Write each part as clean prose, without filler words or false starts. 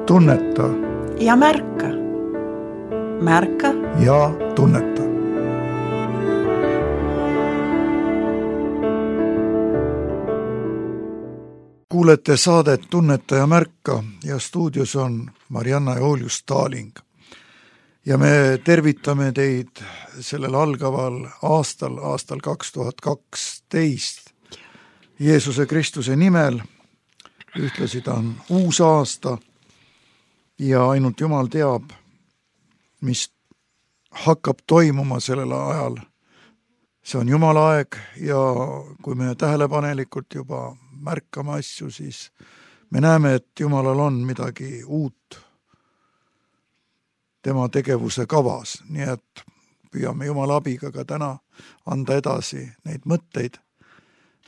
tunneta ja märka. Märka ja tunneta. Kuulete saadet Tunneta ja märka ja stuudios on Marianna ja Julius Taaling. Ja me tervitame teid sellel algaval aastal 2012 Jeesuse Kristuse nimel. Ühtlasi ta on uus aasta ja ainult Jumal teab, mis hakkab toimuma sellel ajal. See on Jumala aeg ja kui me tähelepanelikult juba märkame asju, siis me näeme, et Jumalal on midagi uut tema tegevuse kavas. Nii et püüame Jumala abiga ka täna anda edasi neid mõtteid,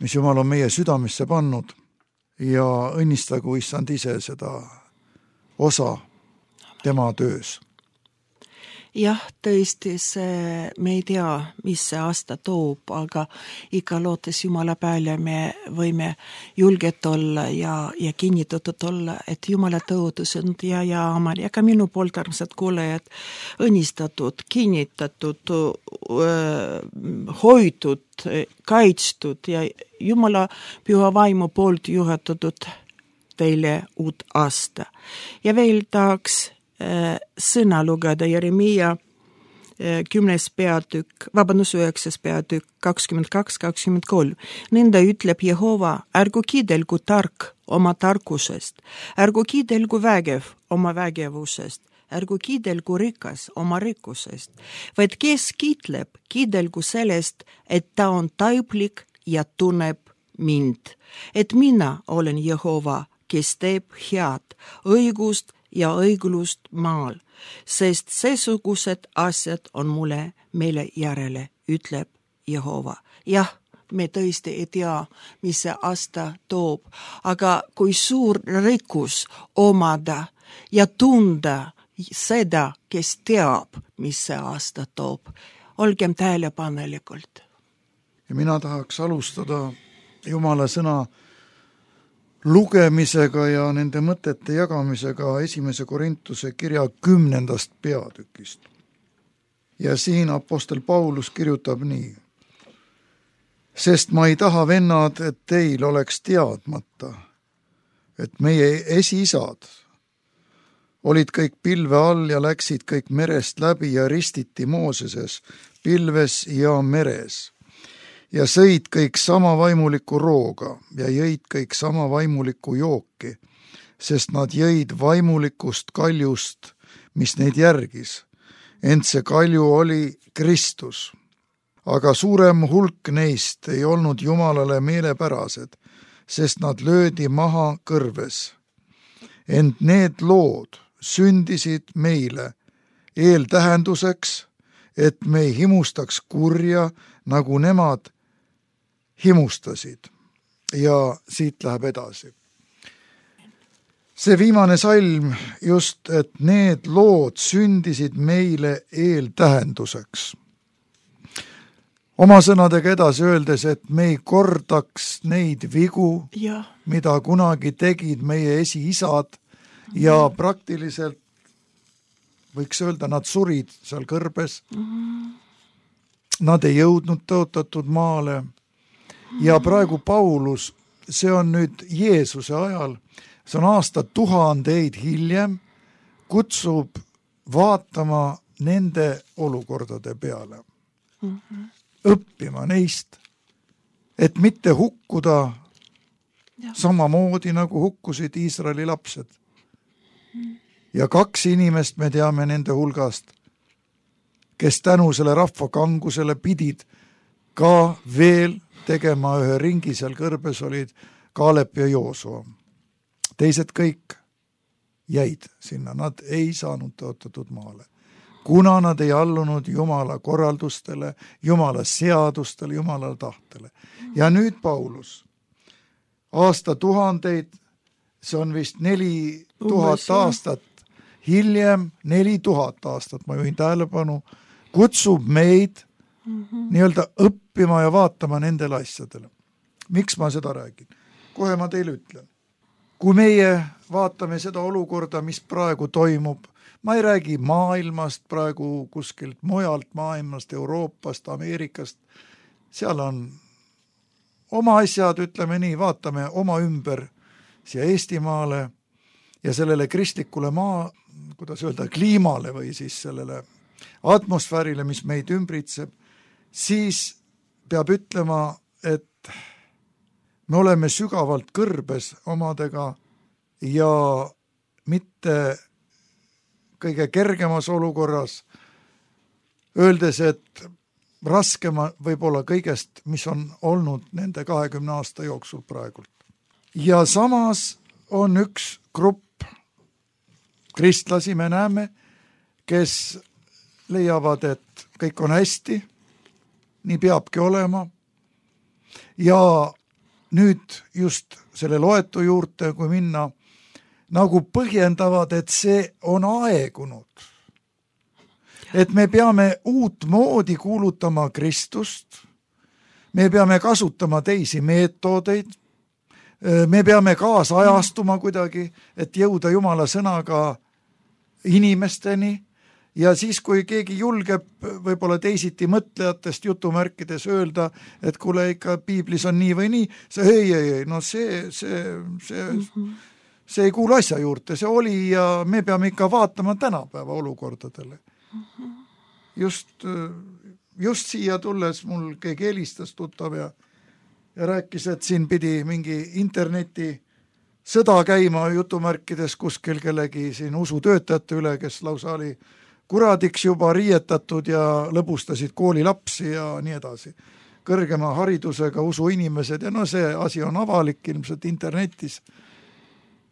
mis Jumal on meie südamesse pannud ja õnnistagu Issand ise seda osa tema töös. Jah, tõesti me ei tea, mis see aasta toob, aga ikka lootes Jumala peale me võime julget olla ja kinnitatud olla, et Jumala tõotus on ja amal. Ja ka minu poolt armsad kuulajad õnnistatud, kinnitatud, hoitud, kaitstud ja Jumala püha vaimu poolt juhatatud teile uut aasta. Ja veel tahaks sõna lugeda Jeremia 10. peatükk, 9. peatükk 22-23. Nõnda ütleb Jehova, ärgu kiidelgu tark oma tarkusest, ärgu kiidelgu vägev oma vägevusest, ärgu kiidelgu rikas oma rikkusest, vaid kes kiitleb, kiidelgu sellest, et ta on taiplik ja tunneb mind, et mina olen Jehova, kes teeb head, õigust ja õiglust maal, sest seesugused asjad on mulle meile järele, ütleb Jehova. Jah, me tõesti ei tea, mis see aasta toob, aga kui suur rikkus omada ja tunda seda, kes teab, mis see aasta toob. Olgem tähelepanelikult. Ja mina tahaks alustada Jumala sõna lugemisega ja nende mõtete jagamisega 1. Korintuse kirja 10. peatükist. Ja siin apostel Paulus kirjutab nii. Sest ma ei taha, vennad, et teil oleks teadmata, et meie esiisad olid kõik pilve all ja läksid kõik merest läbi ja ristiti Mooseses, pilves ja meres. Ja sõid kõik sama vaimuliku rooga ja jõid kõik sama vaimuliku jooki, sest nad jõid vaimulikust kaljust, mis neid järgis. Ent see kalju oli Kristus. Aga suurem hulk neist ei olnud Jumalale meelepärased, sest nad löödi maha kõrves. Ent need lood sündisid meile eeltähenduseks, et me ei himustaks kurja, nagu nemad himustasid. Ja siit läheb edasi. See viimane salm just, et need lood sündisid meile eeltähenduseks. Oma sõnadega edasi öeldes, et me ei kordaks neid vigu, mida kunagi tegid meie esiisad ja praktiliselt võiks öelda, nad surid seal kõrbes. Nad ei jõudnud tõotatud maale. Ja praegu Paulus, see on nüüd Jeesuse ajal, see on aastatuhandeid hiljem, kutsub vaatama nende olukordade peale. Õppima neist, et mitte hukkuda samamoodi, nagu hukkusid Iisraeli lapsed. Ja 2 inimest me teame nende hulgast, kes tänu selle rahva kangusele pidid ka veel tegema ühe ringi seal kõrbes, olid Kaalep ja Joosua. Teised kõik jäid sinna, nad ei saanud tõotatud maale, kuna nad ei allunud Jumala korraldustele, Jumala seadustele, Jumala tahtele. Ja nüüd Paulus, aastatuhandeid, see on vist 4000 aastat hiljem, 4000 aastat, ma juhin tähelepanu, kutsub meid nii-öelda õppima ja vaatama nendele asjadele. Miks ma seda räägin? Kohe ma teile ütlen. Kui meie vaatame seda olukorda, mis praegu toimub, ma ei räägi maailmast praegu kuskilt mujalt maailmast, Euroopast, Ameerikast, seal on oma asjad, ütleme nii, vaatame oma ümber siia Eestimaale ja sellele kristlikule kuidas öelda, kliimale või siis sellele atmosfäärile, mis meid ümbritseb, siis peab ütlema, et me oleme sügavalt kõrbes omadega ja mitte kõige kergemas olukorras, öeldes, et raskema võib-olla kõigest, mis on olnud nende 20 aasta jooksul praegult. Ja samas on üks grupp kristlasi, me näeme, kes leiavad, et kõik on hästi, nii peabki olema. Ja nüüd just selle loetu juurde, kui minna, nagu põhjendavad, et see on aegunud. Et me peame uut moodi kuulutama Kristust, me peame kasutama teisi meetodeid, me peame kaasajastuma kuidagi, et jõuda Jumala sõnaga inimesteni ja siis, kui keegi julgeb võib-olla teisiti mõtlejatest jutumärkides öelda, et kuule ikka piiblis on nii või nii, ei, no see ei kuulu asja juurde, see oli ja me peame ikka vaatama tänapäeva olukordadele. Just siia tulles mul keegi helistas tuttav ja rääkis, et siin pidi mingi interneti sõda käima jutumärkides kuskil kellegi siin usutöötajate üle, kes lausa oli kuradiks juba riietatud ja lõbustasid koolilapsi ja nii edasi. Kõrgema haridusega usuinimesed ja no see asi on avalik ilmselt internetis.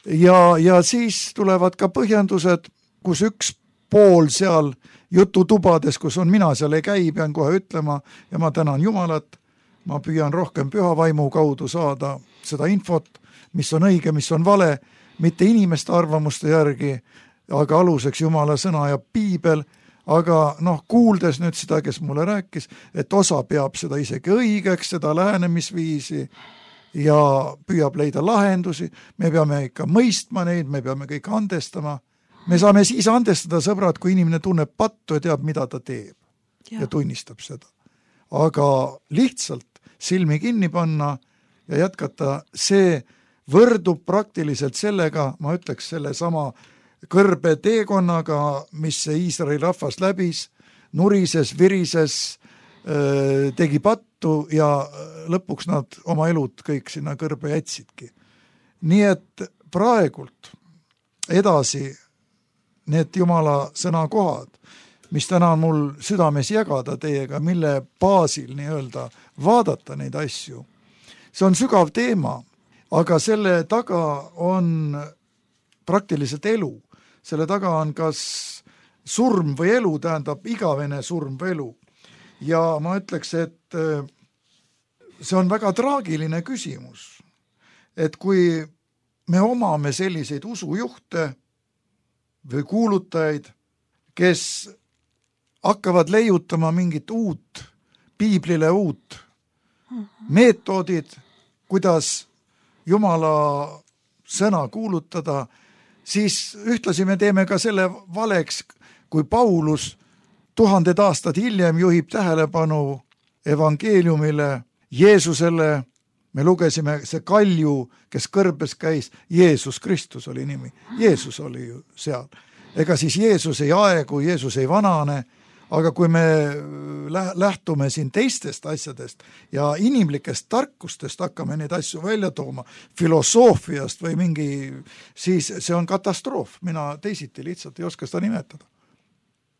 Ja siis tulevad ka põhjendused, kus üks pool seal jututubades, kus on mina seal ei käi, pean kohe ütlema ja ma tänan Jumalat, ma püüan rohkem püha vaimu kaudu saada seda infot, mis on õige, mis on vale, mitte inimeste arvamuste järgi, aga aluseks Jumala sõna ja piibel, aga kuuldes nüüd seda, kes mulle rääkis, et osa peab seda isegi õigeks, seda lähenemisviisi ja püüab leida lahendusi, me peame ikka mõistma neid, me peame kõik andestama. Me saame siis andestada, sõbrad, kui inimene tunneb pattu ja teab, mida ta teeb ja tunnistab seda. Aga lihtsalt silmi kinni panna ja jätkata, see võrdub praktiliselt sellega, ma ütleks selle sama kõrbe teekonnaga, mis see Iisraeli rahvas läbis, nurises, virises, tegi pattu ja lõpuks nad oma elud kõik sinna kõrbe jätsidki. Nii et praegult edasi need Jumala sõnakohad, mis täna on mul südames jagada teiega, mille baasil nii-öelda vaadata neid asju. See on sügav teema, aga selle taga on praktiliselt elu. Selle taga on kas surm või elu, tähendab igavene surm või elu. Ja ma ütleks, et see on väga traagiline küsimus, et kui me omame selliseid usujuhte või kuulutajaid, kes hakkavad leiutama mingit uut, piiblile uut meetodid, kuidas Jumala sõna kuulutada, siis ühtlasi me teeme ka selle valeks, kui Paulus 1000 aastat hiljem juhib tähelepanu evangeeliumile, Jeesusele. Me lugesime see kalju, kes kõrbes käis, Jeesus Kristus oli nimi. Jeesus oli ju seal. Ega siis Jeesus ei aegu, Jeesus ei vanane, aga kui me lähtume siin teistest asjadest ja inimlikest tarkustest hakkame neid asju välja tooma, filosoofiast või mingi, siis see on katastroof. Mina teisiti lihtsalt ei oska seda nimetada.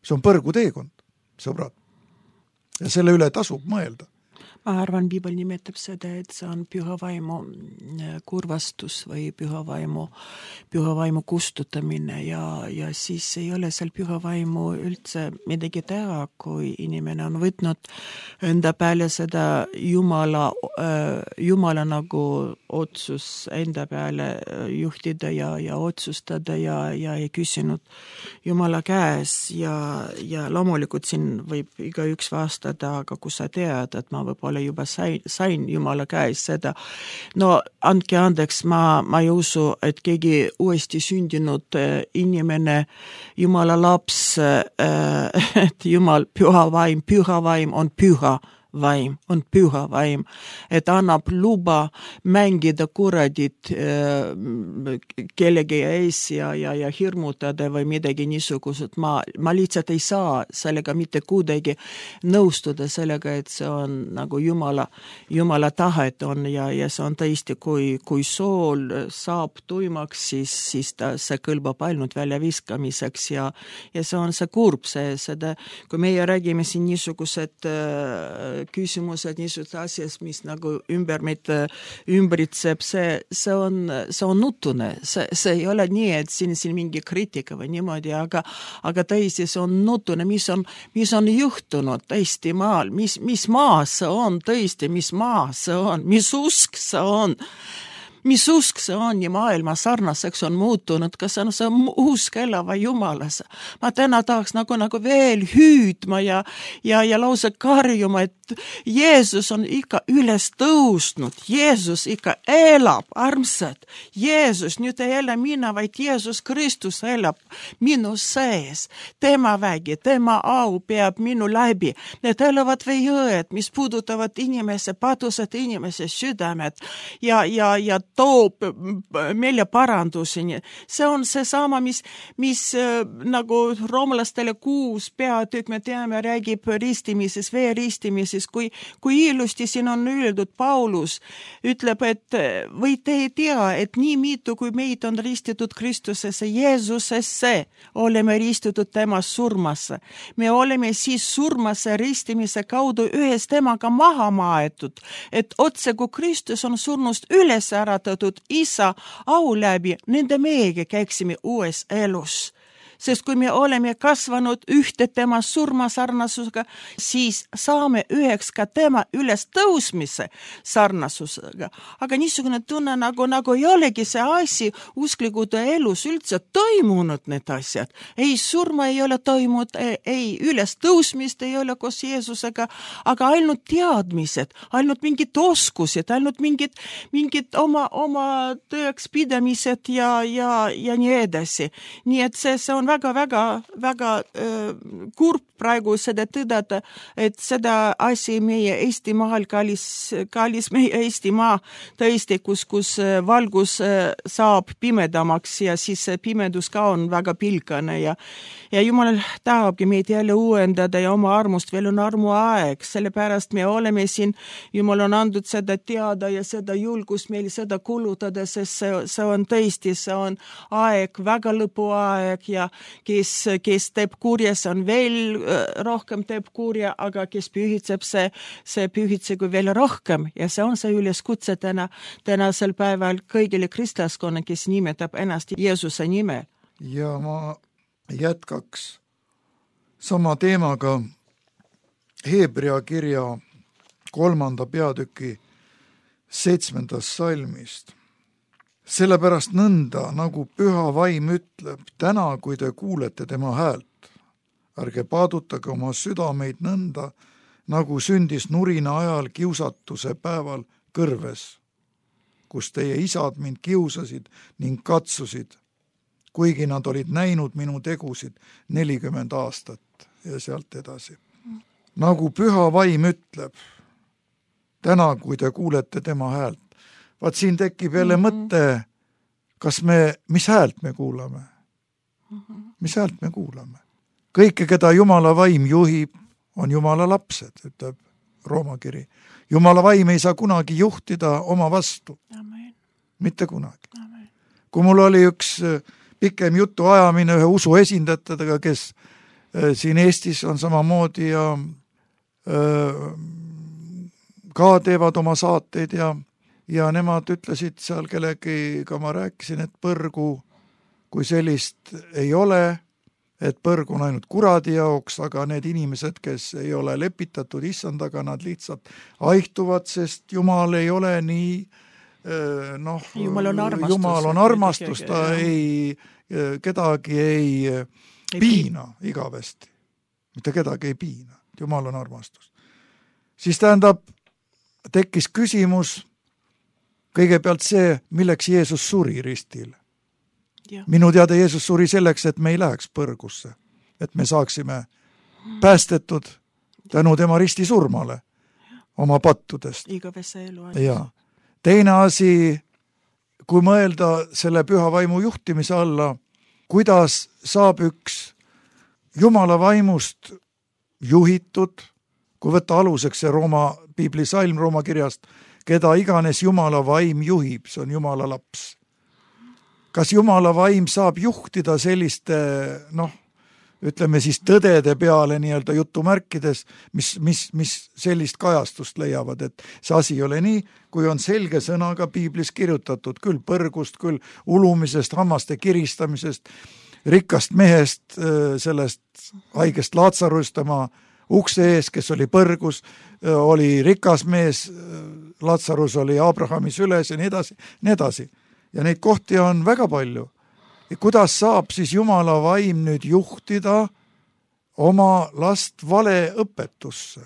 See on põrguteekond, sõbrad. Ja selle üle tasub mõelda. Ma arvan, piibel nimetab seda, et see on püha vaimu kurvastus või püha vaimu kustutamine ja siis ei ole seal püha vaimu üldse midagi teha, kui inimene on võtnud enda peale seda Jumala nagu otsus enda peale juhtida ja otsustada ja ei küsinud Jumala käes ja loomulikult siin võib igaüks vastata, aga kui sa tead, et ma võib-olla võib-olla juba sain Jumala käes seda. No andke andeks, ma ei usu, et keegi uuesti sündinud inimene, Jumala laps, et Jumal püha vaim on püha vaim, et annab luba mängida kuradit kellegi ees ja hirmutada või midagi niisugused. Ma lihtsalt ei saa sellega mitte kuidagi nõustuda sellega, et see on nagu Jumala tahet on ja see on tõesti, kui sool saab tuimaks, siis see kõlbab ainult väljaviskamiseks ja see on see kurb, seda, kui meie räägime siin niisugused küsimused, niisugused asjad, mis nagu meid ümbritseb, see on nutune. See ei ole nii, et siin mingi kriitika või niimoodi, aga tõesti see on nutune, mis on juhtunud tõesti maal, mis maa see on tõesti, mis maa see on, mis usk see on. Mis usk see on ja maailma sarnaseks on muutunud, kas see on see usk elava Jumalas. Ma täna tahaks nagu veel hüüdma ja lausa karjuma, et Jeesus on ikka üles tõusnud, Jeesus ikka elab, armsad. Jeesus, nüüd ei ela mina, vaid Jeesus Kristus elab minu sees. Tema vägi, tema au peab minu läbi. Need elavad veejõed, mis puudutavad inimese, padused inimese südamed ja toob meile paranduseni. See on seesama, mis nagu roomlastele 6 peatükk, me teame, räägib ristimises, veeristimises, kui ilusti siin on öeldud, Paulus ütleb, et või te ei tea, et nii mitu, kui meid on ristitud Kristusesse, Jeesusesse, oleme ristitud tema surmasse. Me oleme siis surmasse ristimise kaudu ühes temaga maha maetud, et otse kui Kristus on surnust üles äratatud isa au läbi, nende meiegi käiksime uues elus. Sest kui me oleme kasvanud ühte tema surmasarnasusega, siis saame üheks ka tema üles tõusmise sarnasusega. Aga niisugune tunne nagu ei olegi see asi usklikud elus üldse toimunud need asjad. Ei surma ei ole toimunud, ei üles tõusmist ei ole koos Jeesusega, aga ainult teadmised, ainult mingid oskused, ainult mingid oma tõeks pidamised ja nii edasi. Nii et see on väga kurb praegu seda tõdada, et seda asi meie Eestimaal, kallis meie Eestimaa tõesti, kus valgus saab pimedamaks ja siis pimedus ka on väga pilkane ja Jumal tahabki meid jälle uuendada ja oma armust veel on armuaeg, sellepärast me oleme siin, Jumal on andnud seda teada ja seda julgust meil seda kulutada, sest see on tõesti, see on aeg, väga lõpuaeg ja kes teeb kurja, see on veel rohkem teeb kurja, aga kes pühitseb, see pühitsegu veel rohkem ja see on see üleskutse tänasel päeval kõigile kristlaskonna, kes nimetab ennast Jeesuse nimel. Ja ma jätkaks sama teemaga Hebrea kirja 3. peatüki 7. salmist. Sellepärast nõnda, nagu püha vaim ütleb, täna, kui te kuulete tema häält, ärge paadutage oma südameid nõnda, nagu sündis nurina ajal kiusatuse päeval kõrves, kus teie isad mind kiusasid ning katsusid, kuigi nad olid näinud minu tegusid 40 aastat ja sealt edasi. Nagu püha vaim ütleb, täna, kui te kuulete tema häält, vaat siin tekib jälle mõte, mis häält me kuulame? Mis häält me kuulame? Kõike, keda Jumala vaim juhib, on Jumala lapsed, ütleb Rooma kiri. Jumala vaim ei saa kunagi juhtida oma vastu. Amen. Mitte kunagi. Amen. Kui mul oli üks pikem jutu ajamine ühe usu esindajatega, kes siin Eestis on samamoodi ja ka teevad oma saateid ja nemad ütlesid seal kellegiga, ma rääkisin, et põrgu kui sellist ei ole, et põrgu on ainult kuradi jaoks, aga need inimesed, kes ei ole lepitatud issandaga, nad lihtsalt aihtuvad, sest Jumal ei ole nii, Jumal on armastus, ta kedagi ei piina igavesti. Mitte kedagi ei piina, Jumal on armastus. Siis tähendab, tekkis küsimus kõigepealt see, milleks Jeesus suri ristil. Minu teada Jeesus suri selleks, et me ei läheks põrgusse, et me saaksime päästetud tänu tema risti surmale oma pattudest. Igavese elu. Ja teine asi, kui mõelda selle püha vaimu juhtimise alla, kuidas saab üks Jumala vaimust juhitud, kui võtta aluseks see Rooma piibli salm Rooma kirjast, keda iganes Jumala vaim juhib, see on Jumala laps. Kas Jumala vaim saab juhtida selliste, ütleme siis tõdede peale nii-öelda jutumärkides, mis sellist kajastust leiavad, et see asi ei ole nii, kui on selge sõnaga piiblis kirjutatud, küll põrgust, küll ulumisest, hammaste kiristamisest, rikkast mehest, sellest haigest Laatsarust tema ukse ees, kes oli põrgus, oli rikas mees, Laatsarus oli Abrahami süles ja nii edasi. Ja neid kohti on väga palju. Ja kuidas saab siis Jumala vaim nüüd juhtida oma last valeõpetusse?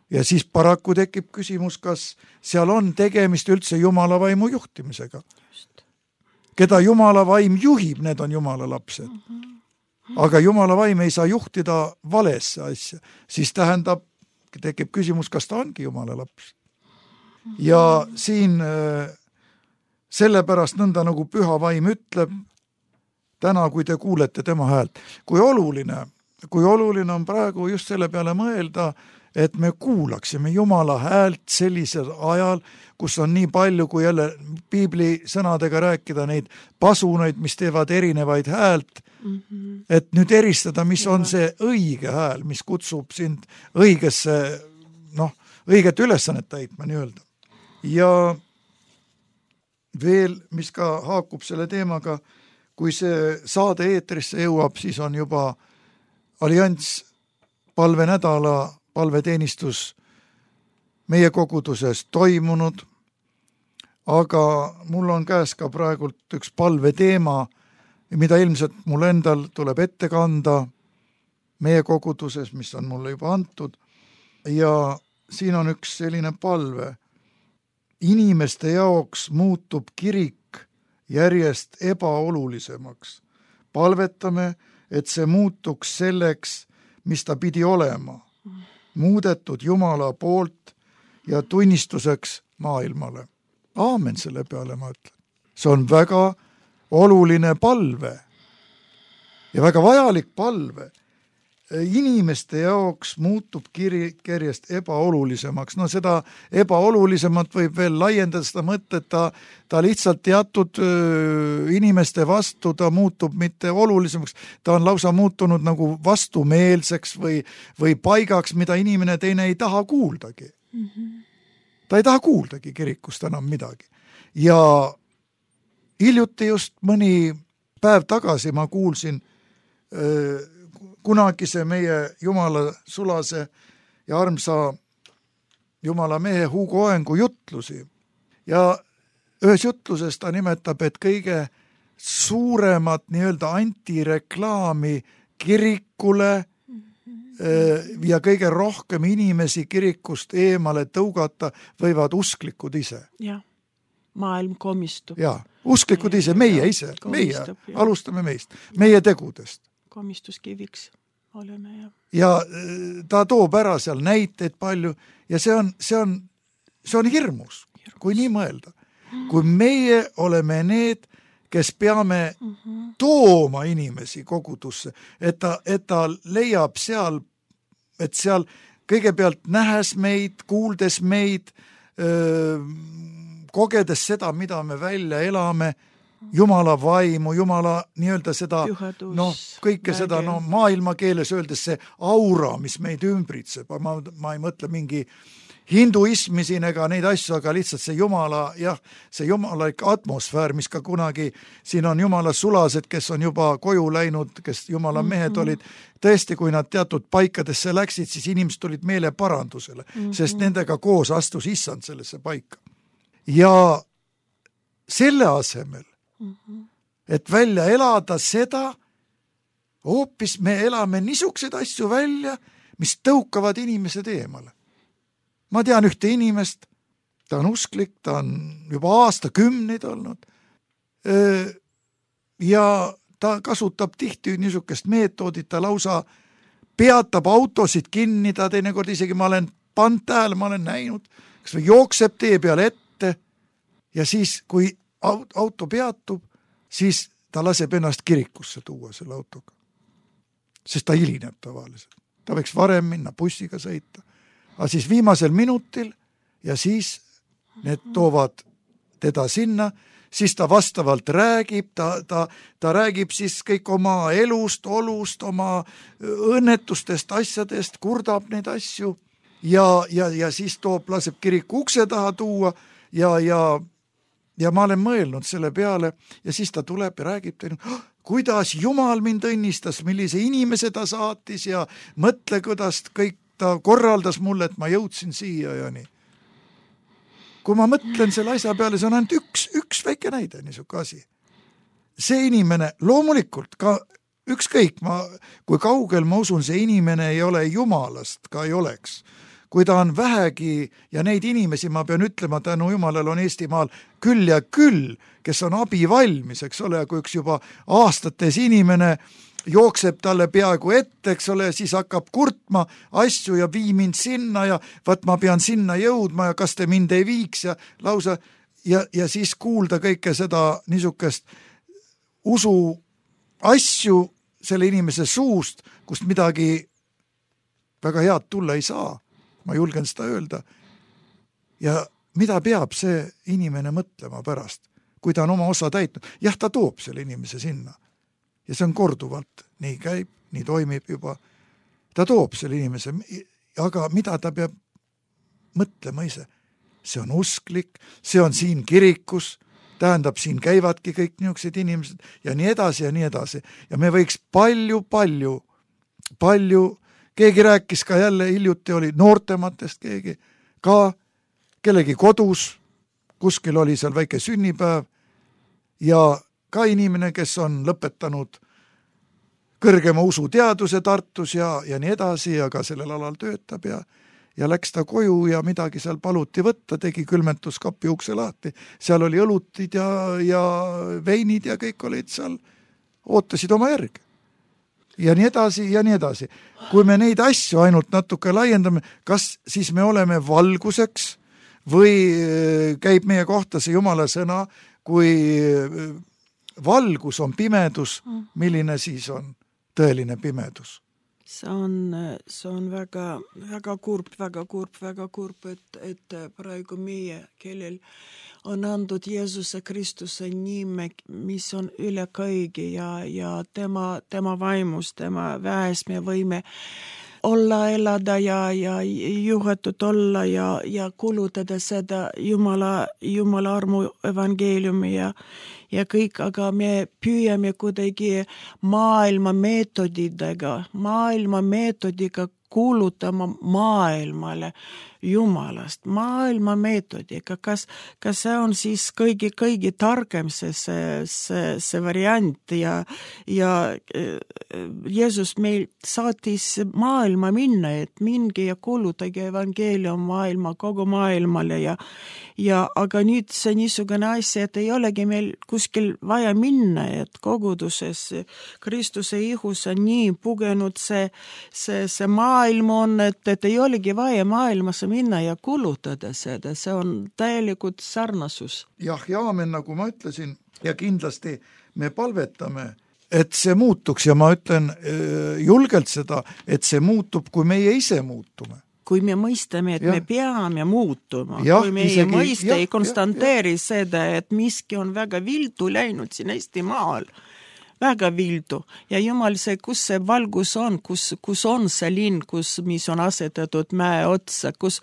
Ja siis paraku tekib küsimus, kas seal on tegemist üldse Jumala vaimu juhtimisega. Keda Jumala vaim juhib, need on Jumala lapsed. Aga Jumala vaim ei saa juhtida valesse asja. Siis tekib küsimus, kas ta ongi Jumala laps. Ja siin sellepärast nõnda nagu püha vaim ütleb, täna, kui te kuulete tema häält. Kui oluline on praegu just selle peale mõelda, et me kuulaksime Jumala häält sellisel ajal, kus on nii palju, kui jälle piibli sõnadega rääkida neid pasunaid, mis teevad erinevaid häält, et nüüd eristada, mis on see õige hääl, mis kutsub sind õigesse, õiget ülesannet täitma nii-öelda. Ja veel, mis ka haakub selle teemaga, kui see saade eetrisse jõuab, siis on juba allianss palvenädala palveteenistus meie koguduses toimunud, aga mul on käes ka praegult üks palveteema, mida ilmselt mul endal tuleb ette kanda meie koguduses, mis on mulle juba antud, ja siin on üks selline palve. Inimeste jaoks muutub kirik järjest ebaolulisemaks. Palvetame, et see muutuks selleks, mis ta pidi olema. Muudetud Jumala poolt ja tunnistuseks maailmale. Aamen selle peale, ma ütlen. See on väga oluline palve ja väga vajalik palve. Inimeste jaoks muutub kirik järjest ebaolulisemaks. Seda ebaolulisemat võib veel laiendada seda mõtet, ta lihtsalt teatud inimeste vastu, ta muutub mitte olulisemaks, ta on lausa muutunud nagu vastumeelseks või paigaks, mida inimene teine ei taha kuuldagi. Ta ei taha kuuldagi kirikust enam midagi. Ja hiljuti just mõni päev tagasi ma kuulsin kunagise meie Jumala sulase ja armsa Jumala mehe Hugo Oengu jutlusi. Ja ühes jutluses ta nimetab, et kõige suuremat nii-öelda antireklaami kirikule ja kõige rohkem inimesi kirikust eemale tõugata võivad usklikud ise. Jah, maailm komistub. Ja, usklikud ise, meie ise, meie, alustame meist, meie tegudest. Komistuskiviks oleme. Ja ta toob ära seal näiteid palju ja see on hirmus, kui nii mõelda. Kui meie oleme need, kes peame tooma inimesi kogudusse, et ta leiab seal, et seal kõigepealt nähes meid, kuuldes meid, kogedes seda, mida me välja elame, Jumala vaimu, Jumala nii-öelda seda, kõike seda, maailma keeles öeldes see aura, mis meid ümbritseb. Ma ei mõtle mingi hinduismi siin ega neid asju, aga lihtsalt see Jumala, see jumalalik atmosfäär, mis ka kunagi, siin on Jumala sulased, kes on juba koju läinud, kes Jumala mehed olid, tõesti, kui nad teatud paikadesse läksid, siis inimesed tulid meeleparandusele, sest nendega koos astus issand sellesse paika. Ja selle asemel, et välja elada seda, hoopis me elame niisuguseid asju välja, mis tõukavad inimesed eemale. ma tean ühte inimest, ta on usklik, ta on juba aastakümneid olnud ja ta kasutab tihti niisugust meetodit, ta lausa peatab autosid kinni, ta teinekord isegi ma olen pannud tähele, ma olen näinud, kas või jookseb tee peale ette ja siis, kui auto peatub, siis ta laseb ennast kirikusse tuua selle autoga. Sest ta hilineb tavaliselt. Ta võiks varem minna bussiga sõita. Aga siis viimasel minutil ja siis need toovad teda sinna, siis ta vastavalt räägib, ta räägib siis kõik oma elust, olust, oma õnnetustest, asjadest, kurdab neid asju ja siis laseb kiriku ukse taha tuua ja ma olen mõelnud selle peale ja siis ta tuleb ja räägib, kuidas Jumal mind õnnistas, millise inimese ta saatis ja mõtle, kuidas kõik ta korraldas mulle, et ma jõudsin siia ja nii. Kui ma mõtlen selle asja peale, see on ainult üks väike näide niisugune asi. See inimene, loomulikult ka ükskõik, kui kaugel ma usun, see inimene ei ole Jumalast, ka ei oleks. Kui ta on vähegi, ja neid inimesi ma pean ütlema, tänu Jumalal on Eestimaal küll ja küll, kes on abi valmis, eks ole, kui üks juba aastates inimene jookseb talle peaaegu ette, eks ole, siis hakkab kurtma asju ja vii mind sinna ja vaat ma pean sinna jõudma ja kas te mind ei viiks ja lausa ja siis kuulda kõike seda niisugust usu asju selle inimese suust, kust midagi väga head tulla ei saa. Ma julgen seda öelda. Ja mida peab see inimene mõtlema pärast, kui ta on oma osa täitnud? Jah, ta toob selle inimese sinna. Ja see on korduvalt. Nii käib, nii toimib juba. Ta toob selle inimese, aga mida ta peab mõtlema ise? See on usklik, see on siin kirikus, tähendab, siin käivadki kõik niisugused inimesed ja nii edasi ja nii edasi. Ja me võiks palju, keegi rääkis ka jälle, hiljuti oli noortematest keegi, ka kellegi kodus, kuskil oli seal väike sünnipäev ja ka inimene, kes on lõpetanud kõrgema usuteaduse Tartus ja nii edasi ja ka sellel alal töötab ja läks ta koju ja midagi seal paluti võtta, tegi külmentuskapi ukse lahti, seal oli õlutid ja veinid ja kõik olid seal, ootasid oma järgi. Ja nii edasi ja nii edasi. Kui me neid asju ainult natuke laiendame, kas siis me oleme valguseks või käib meie kohta see Jumala sõna, kui valgus on pimedus, milline siis on tõeline pimedus? See on väga kurb, et praegu meie, kellel on andud Jeesuse Kristuse nime, mis on üle kõigi ja tema vaimus, tema väes me võime olla, elada ja juhatud olla ja kulutada seda Jumala armu evangeeliumi ja kõik, aga me püüame kuidagi maailma meetodiga kuulutama maailmale Jumalast, maailma meetodiga, kas see on siis kõigi targem see variant ja Jeesus meil saatis maailma minna, et minge ja kuulutage evangeelium kogu maailmale aga nüüd see niisugune asja, et ei olegi meil kuskil vaja minna, et koguduses Kristuse ihus on nii pugenud see maailm on, et ei olegi vaja maailmasse minna ja kulutada seda, see on täielikult sarnasus. Jah, ja aamen, nagu ma ütlesin, ja kindlasti me palvetame, et see muutuks ja ma ütlen julgelt seda, et see muutub, kui meie ise muutume. Kui me mõistame, et me peame muutuma, kui meie mõiste ei konstanteeri seda, et miski on väga vildu läinud siin Eestimaal, väga vildu. Ja Jumal see, kus see valgus on, kus on see linn, mis on asetatud mäe otsa, kus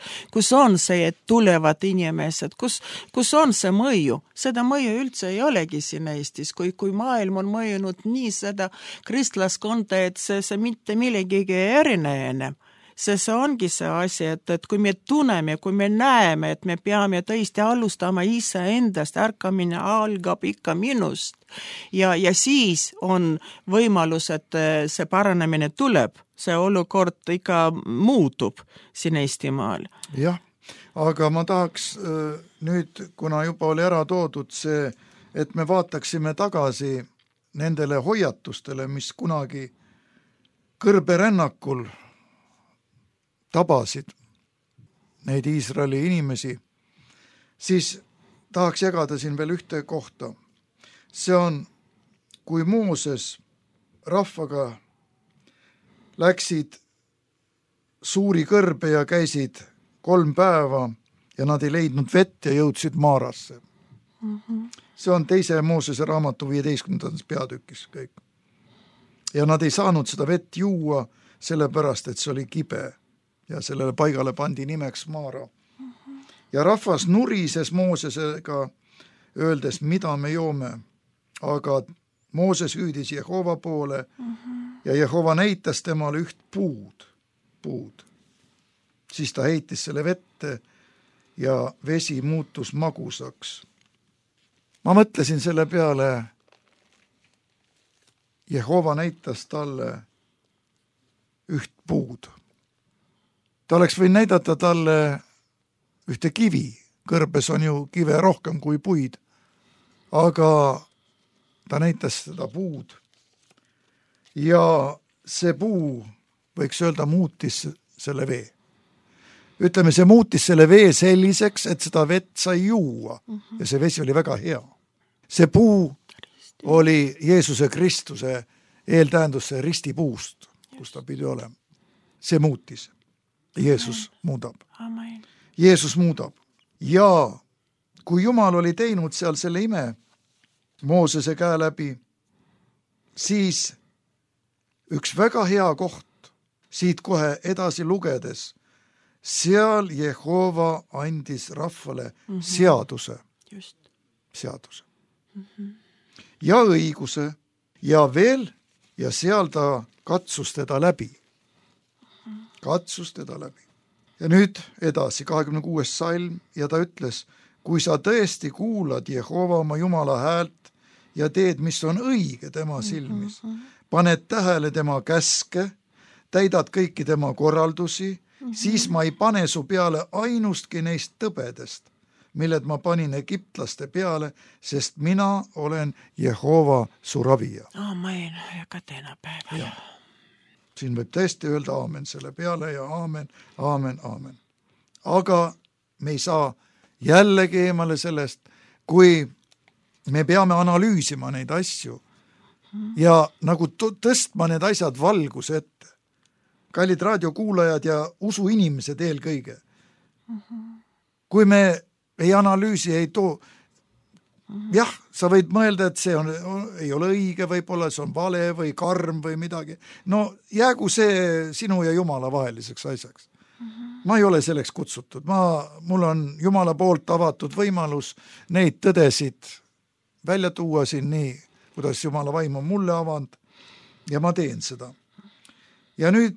on see, et tulevad inimesed, kus on see mõju. Seda mõju üldse ei olegi siin Eestis, kui maailm on mõjunud nii seda kristlaskonda, et see mitte millegagi erinev. See ongi see asi, et kui me tunneme, kui me näeme, et me peame tõesti alustama ise endast, ärkamine algab ikka minust ja siis on võimalus, et see paranemine tuleb, see olukord ikka muutub siin Eestimaal. Jah, aga ma tahaks nüüd, kuna juba oli ära toodud see, et me vaataksime tagasi nendele hoiatustele, mis kunagi kõrberännakul tabasid neid Iisraeli inimesi, siis tahaks jagada siin veel ühte kohta. See on, kui Mooses rahvaga läksid suuri kõrbe ja käisid 3 päeva ja nad ei leidnud vett ja jõudsid Maarasse. See on 2. Moosese raamatu 15. peatükis kõik. Ja nad ei saanud seda vett juua, sellepärast, et see oli kibe ja sellele paigale pandi nimeks Maara. Ja rahvas nurises Moosesega, öeldes, mida me joome. Aga Mooses hüüdis Jehova poole ja Jehova näitas temale üht puud. Siis ta heitis selle vette ja vesi muutus magusaks. Ma mõtlesin selle peale, Jehova näitas talle üht puud. Ta oleks võinud näidata talle ühte kivi, kõrbes on ju kive rohkem kui puid, aga ta näitas seda puud. Ja see puu, võiks öelda, muutis selle vee. Ütleme, see muutis selle vee selliseks, et seda vett sai juua ja see vesi oli väga hea. See puu oli Jeesuse Kristuse eeltähendusse ristipuust, kus ta pidi olema. See muutis. Jeesus muudab. Amen. Jeesus muudab. Ja kui Jumal oli teinud seal selle ime Moosese käe läbi, siis üks väga hea koht siit kohe edasi lugedes, seal Jehova andis rahvale seaduse. Just. Seaduse. Ja õiguse ja veel, ja seal ta katsus teda läbi. Katsus teda läbi. Ja nüüd edasi, 26. salm, ja ta ütles, kui sa tõesti kuulad Jehova oma Jumala häält ja teed, mis on õige tema silmis, paned tähele tema käske, täidad kõiki tema korraldusi, siis ma ei pane su peale ainustki neist tõbedest, milled ma panin egiptlaste peale, sest mina olen Jehova su ravija. Amen, ja ka täna päeva. Ja. Siin võib tõesti öelda aamen selle peale ja aamen, aamen, aamen. Aga me ei saa jällegi eemale sellest, kui me peame analüüsima neid asju ja nagu tõstma need asjad valguse ette. Kallid raadiokuulajad ja usuinimesed eelkõige. Kui me ei analüüsi, ei too, jah, sa võid mõelda, et see ei ole õige, võib-olla see on vale või karm või midagi. No jäägu see sinu ja Jumala vaheliseks asjaks. Ma ei ole selleks kutsutud. Mul on Jumala poolt avatud võimalus neid tõdesid välja tuua siin nii, kuidas Jumala vaim on mulle avanud ja ma teen seda. Ja nüüd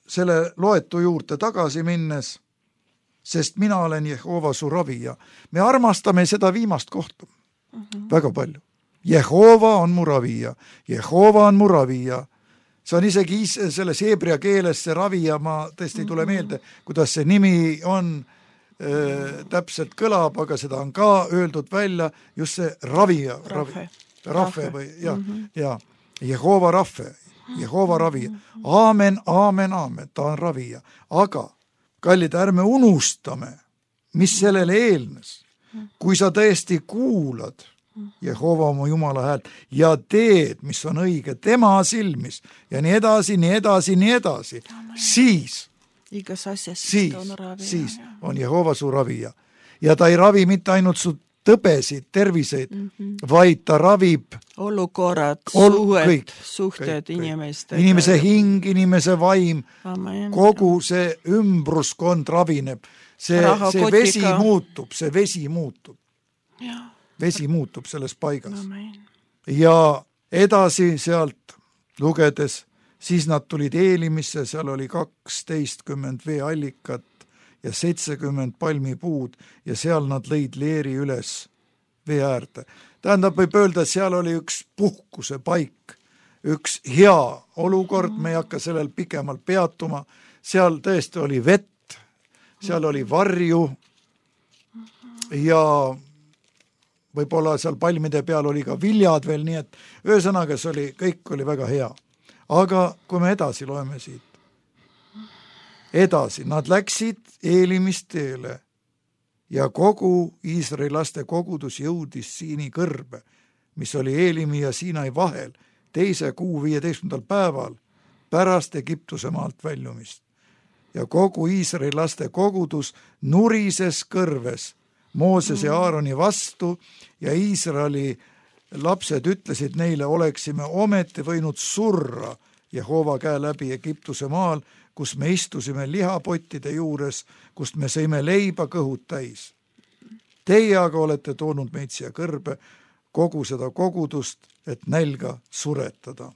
selle loetu juurde tagasi minnes, sest mina olen Jehova su ravija. Me armastame seda viimast kohta väga palju. Jehova on mu ravija. Jehova on mu ravija. See on isegi selles heebrea keeles see ravija, ma tõesti ei tule meelde, kuidas see nimi on, täpselt kõlab, aga seda on ka öeldud välja, just see ravija. Rahve või, ja. Jehova rahve. Jehova ravija. Aamen, aamen, aamen, ta on ravija. Aga, kallid, ärme unustame, mis sellele eelnes. Kui sa tõesti kuulad Jehova oma Jumala häält ja teed, mis on õige tema silmis ja nii edasi, nii edasi, nii edasi, siis on Jehova su ravija. Ja ta ei ravi mitte ainult su tõbesid, terviseid, vaid ta ravib olukorrad, suhted inimeste. Inimese hing, inimese vaim, kogu see ümbruskond ravineb. See vesi muutub, see vesi muutub. Vesi muutub selles paigas. Ja edasi sealt lugedes, siis nad tulid Eelimisse, seal oli 12 veeallikat ja 70 palmipuud ja seal nad lõid leeri üles vee äärde. Tähendab, võib öelda, et seal oli üks puhkuse paik, üks hea olukord, me ei hakka sellel pikemalt peatuma, seal tõesti oli vett, seal oli varju ja võib-olla seal palmide peal oli ka viljad veel, nii et ühesõnaga kõik oli väga hea. Aga kui me edasi loeme siit, edasi, nad läksid Eelimist teele ja kogu Iisraeli laste kogudus jõudis Siini kõrbe, mis oli Eelimi ja Siinai vahel, 2. kuu 15. päeval pärast Egiptuse maalt väljumist. Ja kogu Iisraeli laste kogudus nurises kõrves Mooses ja Aaroni vastu ja Iisraeli lapsed ütlesid neile, oleksime ometi võinud surra Jehova käe läbi Egiptuse maal, kus me istusime lihapottide juures, kust me sõime leiba kõhud täis. Teie aga olete toonud meid siia kõrbe, kogu seda kogudust, et nälga suretada.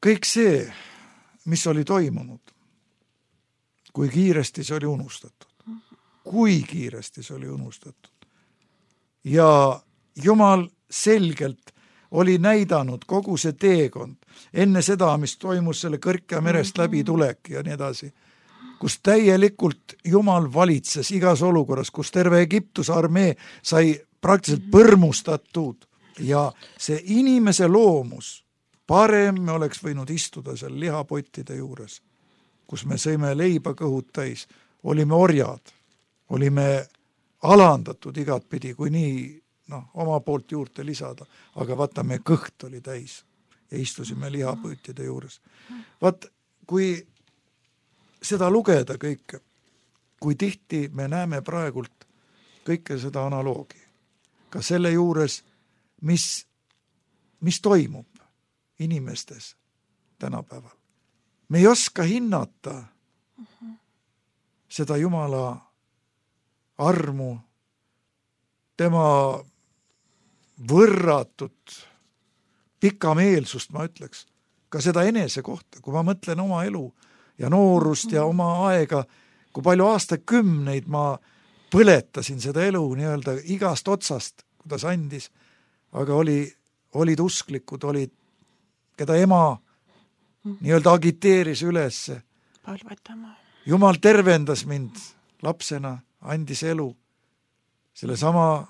Kõik see, mis oli toimunud, kui kiiresti see oli unustatud. Kui kiiresti see oli unustatud. Ja Jumal selgelt oli näidanud kogu see teekond enne seda, mis toimus selle Kõrkja merest läbi tulek ja nii edasi, kus täielikult Jumal valitses igas olukorras, kus terve Egiptuse armee sai praktiliselt põrmustatud ja see inimese loomus, parem me oleks võinud istuda seal lihapottide juures, kus me sõime leiba kõhud täis, olime orjad, olime alandatud igatpidi, kui nii oma poolt juurde lisada, aga vaata, me kõht oli täis ja istusime lihapottide juures. Vaat, kui seda lugeda kõike, kui tihti me näeme praegult kõike seda analoogi, ka selle juures, mis toimub inimestes tänapäeval. Me ei oska hinnata seda Jumala armu, tema võrratut pikameelsust, ma ütleks, ka seda enese kohta, kui ma mõtlen oma elu ja noorust ja oma aega, kui palju aastakümneid ma põletasin seda elu nii-öelda igast otsast, kuidas andis, aga olid usklikud, keda ema nii-öelda agiteeris üles. Palvetama. Jumal tervendas mind lapsena, andis elu selle sama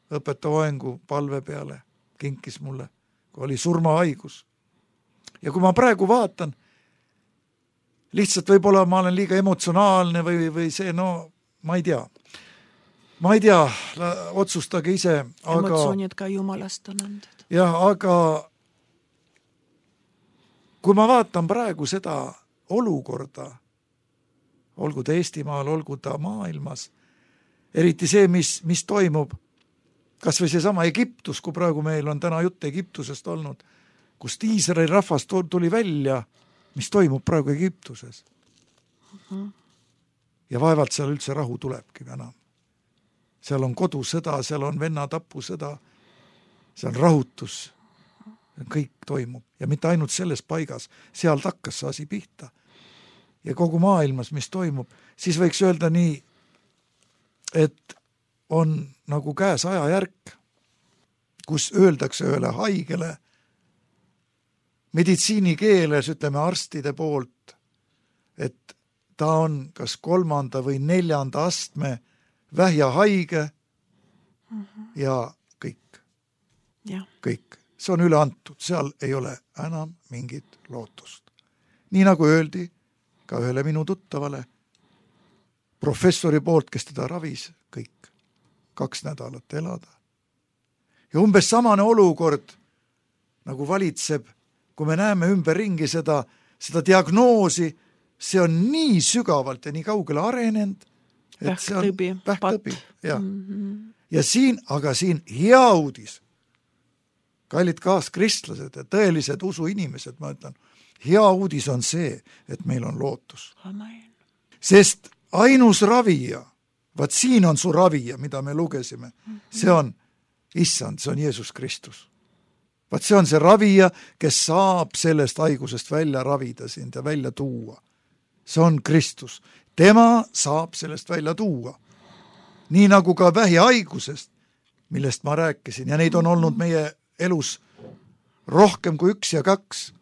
õpetajaoengu palve peale, kinkis mulle, kui oli surmahaigus. Ja kui ma praegu vaatan, lihtsalt võib-olla ma olen liiga emotsionaalne või see, ma ei tea. Ma ei tea, otsustage ise. Emotsioonid ka Jumalast on andnud. Jah, aga kui ma vaatan praegu seda olukorda, olgu ta Eestimaal, olgu ta maailmas, eriti see, mis toimub, kas või see sama Egiptus, kui praegu meil on täna jutt Egiptusest olnud, kust Iisraeli rahvas tuli välja, mis toimub praegu Egiptuses. Ja vaevalt seal üldse rahu tulebki enam. Seal on kodusõda, seal on vennatapusõda, seal on rahutus, kõik toimub. Ja mitte ainult selles paigas, sealt hakkas see asi pihta. Ja kogu maailmas, mis toimub, siis võiks öelda nii, et on nagu käes ajajärk, kus öeldakse ühele haigele meditsiinikeeles, ütleme arstide poolt, et ta on kas 3. või 4. astme vähjahaige ja kõik. Ja. Kõik. See on üle antud, seal ei ole enam mingit lootust. Nii nagu öeldi ka ühele minu tuttavale professori poolt, kes teda ravis, kõik. 2 nädalat elada. Ja umbes samane olukord, nagu valitseb, kui me näeme ümberringi seda diagnoosi, see on nii sügavalt ja nii kaugele arenenud, et see on vähktõbi. Ja. Ja siin hea uudis, kallid kaaskristlased ja tõelised usuinimesed, ma ütlen, hea uudis on see, et meil on lootus. Amen. Sest ainus ravija, vaat siin on su ravija, mida me lugesime, see on Issand, see on Jeesus Kristus. Vaat see on see ravija, kes saab sellest haigusest välja ravida sind ja välja tuua. See on Kristus. Tema saab sellest välja tuua. Nii nagu ka vähihaigusest, millest ma rääkisin, ja neid on olnud meie elus rohkem kui 1 ja 2,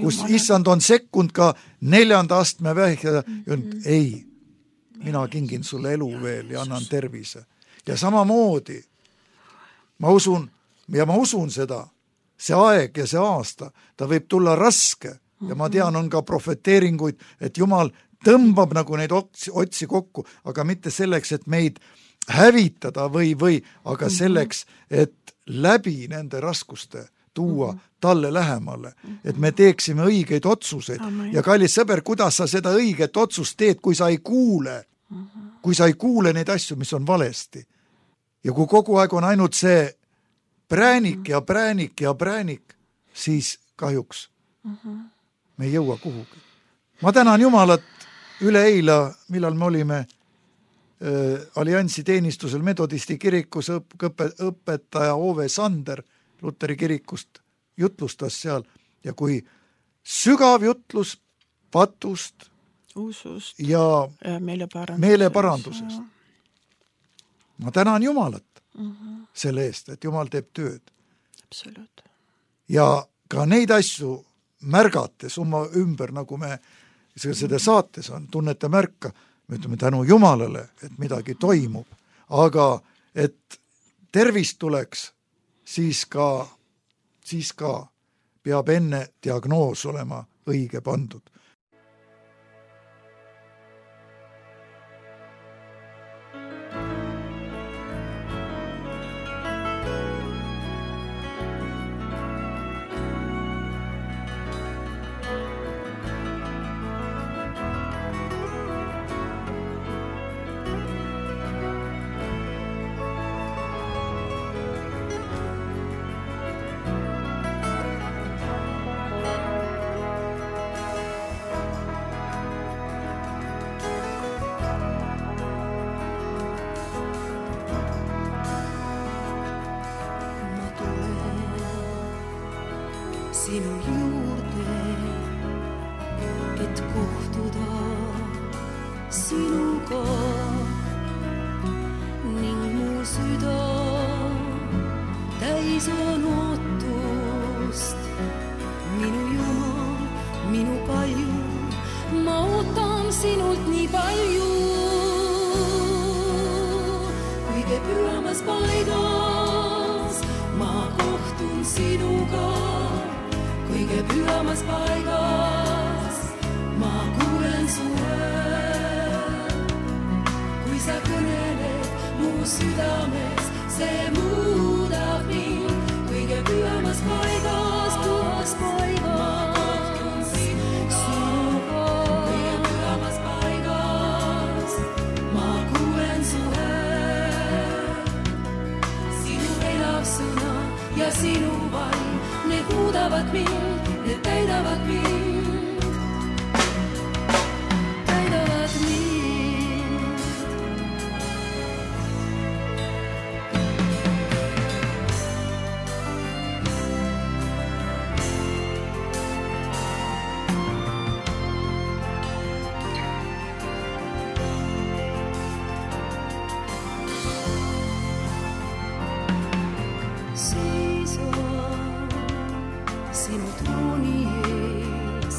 kus Issand on sekkunud ka 4. astme vähja, ei, mina kingin sulle elu veel ja annan tervise. Ja samamoodi ma usun seda, see aeg ja see aasta, ta võib tulla raske ja ma tean, on ka profeteeringuid, et Jumal tõmbab nagu neid otsi kokku, aga mitte selleks, et meid hävitada või, aga selleks, et läbi nende raskuste tuua talle lähemale, et me teeksime õigeid otsuseid. Ja kallis sõber, kuidas sa seda õiget otsust teed, kui sa ei kuule neid asju, mis on valesti. Ja kui kogu aeg on ainult see präänik ja präänik ja präänik, siis kahjuks me ei jõua kuhugi. Ma tänan Jumalat üle eila, millal me olime alliansi teenistusel Metodisti kirikus, õpetaja Ove Sander Luteri kirikust jutlustas seal ja kui sügav jutlus patust usust ja meeleparandusest. Ma tänan Jumalat selle eest, et Jumal teeb tööd. Absoluut. Ja ka neid asju märgates oma ümber, nagu me seda saates on, tunnete märka, me ütleme tänu Jumalale, et midagi toimub, aga et tervist tuleks, siis ka peab enne diagnoos olema õige pandud. Sinu juurde, et kohtuda sinuga ning mu süda täis on ootust. Minu Jumal, minu palju, ma ootan sinult nii palju. Kõige pühamas paigas ma kohtun sinuga. Kõige pühamas paigas ma kuulen su häält. Kui sa kõneled mu südames, see muudab mind. Kõige pühamas paigas, puhas paigas ma kohtun sinuga. Kõige pühamas paigas ma kuulen su häält. Sinu elav sõna ja sinu vaim, need muudavad mind, need täidavad mind, täidavad mind. Sinu trooni ees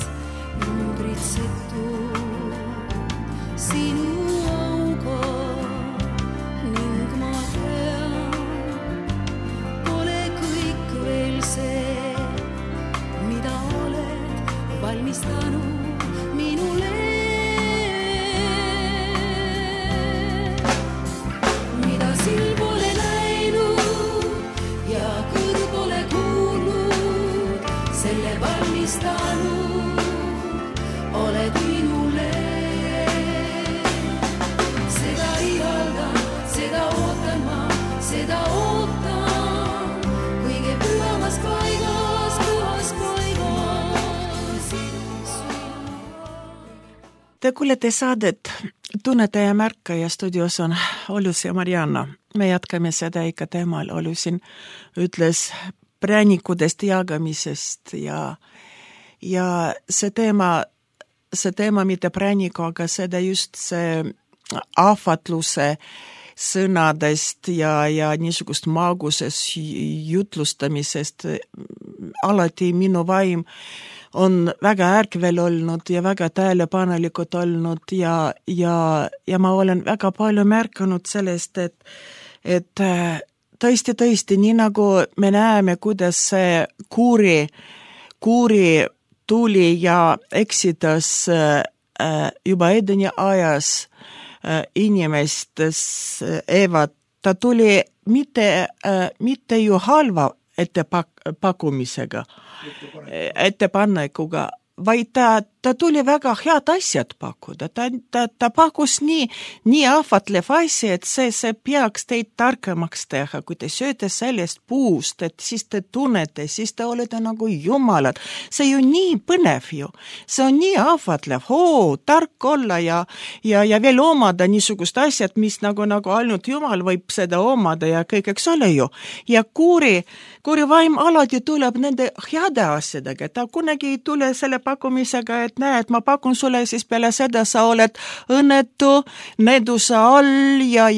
numbritsetud sinu auga ning ma tean, pole kõik veel see, mida oled valmistanud minule. Mida silm pole näinud ja kõrv pole kuulnud, selle valmistanud oled minule. Seda ihaldan, seda ootan ma, seda ootan. Kõige pühamas paigas, puhas paigas. Te kuulete saadet Tunnete ja märkaja, studios on Ollus ja Marianna. Me jatkame seda ikka teemal. Ollusin ütles präänikudest jagamisest ja see teema mitte prääniku, aga seda just see ahvatluse sõnadest ja niisugust maagusest jutlustamisest. Alati minu vaim on väga ärkvel olnud ja väga tähelepanelikud olnud ja ma olen väga palju märkanud sellest, et tõesti, nii nagu me näeme, kuidas see kuuri tuli ja eksitas juba Edeni ajas inimestes Eevat, ta tuli mitte ju halva ettepanekuga, vaid ta tuli väga head asjad pakkuda. Ta pakkus nii ahvatlev asi, et see peaks teid targemaks teha, kui te sööte sellest puust, et siis te tunnete, siis te olete nagu jumalad. See ju nii põnev ju. See on nii ahvatlev, tark olla ja veel omada niisugust asjad, mis nagu ainult jumal võib seda omada ja kõik, eks ole ju. Ja kuuri vaim alati tuleb nende heade asjadega. Ta kunagi ei tule selle pakkumisega, et näed, ma pakun sulle, siis peale seda sa oled õnnetu, needuse all ja